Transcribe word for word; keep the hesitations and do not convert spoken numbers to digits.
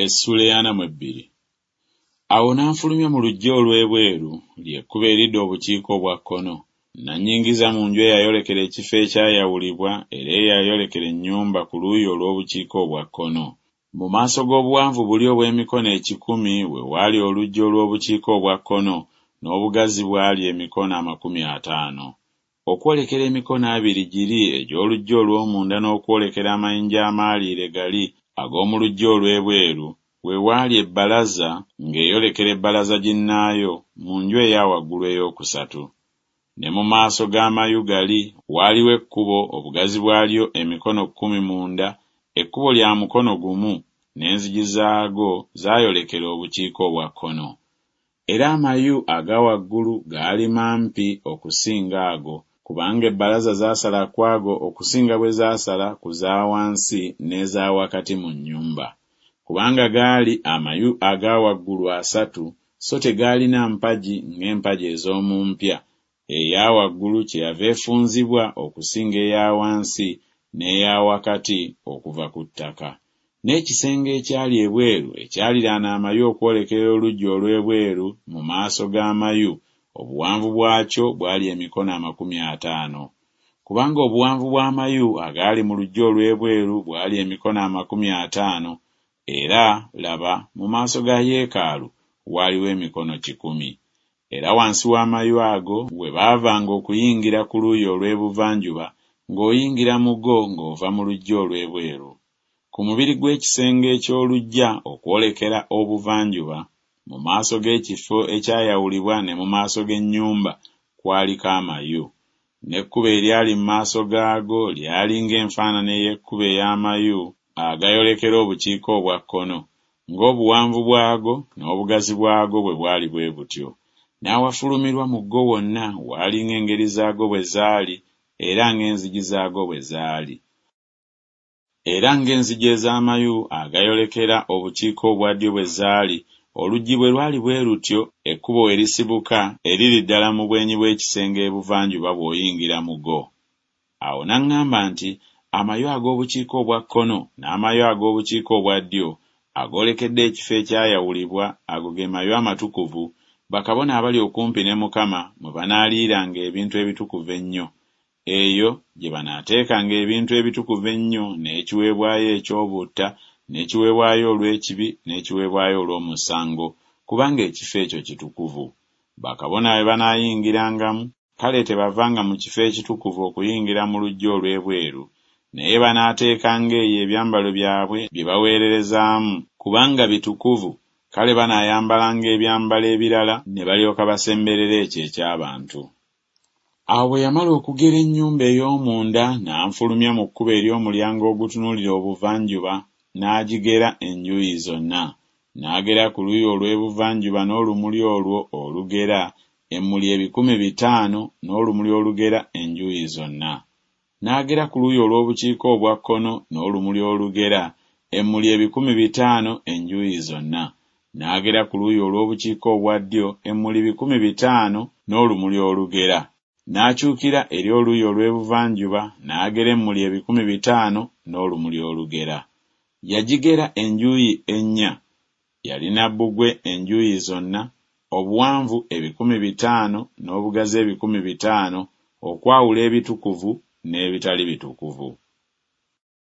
Essula ey'ana mu ebbiri. Awo n'anfulumya mu luggya olw'ebweru, lye kkubo eridda obukiika obwa kkono, n'annyingiza mu nju eyayolekera ekifo ekyayawulibwa era eyayolekera ennyumba ku luuyi olw'obukiika obwa kkono. Mu maaso g'obuwanvu buli obw'emikono ekikumi we waali oluggya olw'obukiika obwa kkono, n'obugazi bwali emikono amakumi ataano. Okwolekera emikono abiri giri egy'oluggya olw'omunda n'okwolekera amayinja amaaliire gali ag'omu luggya olw'ebweru we waali ebbalaza ng'eyolekera ebbalaza ginnaayo mu nju eya waggulu eyookusatu. Ne mu maaso g'amayu gali waaliwo ekkubo obugazi bwalyo emikono kkumi munda, ekkubo lya mukono gumu, n'enzigi zaago zaayolekera obukiika obwa kkono. Era amayu aga waggulu gaali mampi okusinga ago, kubanga ebbalaza zaasala ku ago okusinga bwe zaasala ku za wansi n'eza wakati mu nnyumba. Kubanga gaali amayu aga waggulu asatu, so tegaalina mpagi ng'empagi ez'omu mpya, eya waggulu kyeyava efunzibwa okusinga eya wansi n'eya wakati okuva ku ttaka. N'ekisenge ekyali ebweru ekyaliraana amayu okwolekera oluggya olw'ebweru mu maaso g'amayu, obuwanvu bwakyo bwali emikono amakumi ataano. Kubanga obuwanvu bw'amayu agaali mu luggya olw'ebweru bwali emikono amakumi ataano, era, laba, mu maaso ga yeekaalu waaliwo emikono kikumi. Era wansi w'amayu ago we baavanga okuyingira ku luuyi olw'ebuvanjuba, ng'oyingira mu go ng'ova mu luggya olw'ebweru. Ku mubiri gw'ekisenge eky'oluggya okwolekera obuvanjuba, mu maaso g'ekifo ekyayawulibwa ne mu maaso g'ennyumba kwaliko amayu. N'ekkubo eryali mu maaso gaago lyali ng'enfaanana ey'ekkubo ey'amayu agayolekera obukiika obwa kkono, ng'obuwanvu bwago n'obugazi bwago bwe bwali bwe butyo. N'awafulumirwa mu go wonna waali ng'engeri zaago bwe zaali era ng'enzigi zaago bwe zaali. Era ng'enzigi ez'amayu agayolekera obukiika obwa ddyo bwe zaali, oluggi bwe lwali bwe lutyo ekkubo we lisibuka eriri ddala mu bwenyi bw'ekisenge ebuvanjuba bw'oyingira mu go. Awo n'aŋŋamba nti, Amayu ag'obukiika obwa kkono n'amayu ag'obukiika obwa ddyo agoolekedde ekifo ekyayawulibwa, ago ge mayu amatukuvu, bakabona abali okumpi ne Mukama mwe banaaliiranga ebintu ebitukuvu ennyo. Eyo gye banaateekanga ebintu ebitukuvu ennyo n'ekiweebwayo eky'obutta n'ekiweebwayo olw'ekibi n'ekiweebwayo olw'omusango, kubanga ekifo ekyo kitukuvu. Bakabona bwe banaayingirangamu, kale tebavanga mu kifo ekitukuvu okuyingira mu luggya olw'ebweru, naye banaateekanga eyo ebyambalo byabwe bye baweererezaamu, kubanga bitukuvu, kale banaayambalanga ebyambalo ebirala ne balyoka basemberera ekyo eky'abantu. Awo bwe yamala okugera ennyumba ey'omunda, n'anfulumya mu kkubo ery'omulyango ogutunuulira obuvanjuba, n'agigera enjuuyi zonna. N'agera ku luuyi olw'ebuvanjuba n'olumuli olwo olugera emmuli ebikumi bitaano n'olumuli olugera enjuuyi zonna. N'agera ku luuyi olw'obukiika obwa kkono n'olumuli olugera emmuli ebikumi bitaano enjuuyi zonna. N'agera ku luuyi olw'obukiika obwa ddyo emmuli bikumi bitaano n'olumuli olugera. N'akyukira eri oluuyi olw'ebuvanjuba n'agera emmuli ebikumi bitaano n'olumuli olugera. Yagigera enjuuyi ennya, yalina bbugwe enjuuyi zonna, obuwanvu ebikumi bitaano n'obugazi ebikumi bitaano, okwawula ebitukuvu n'ebitali bitukuvu.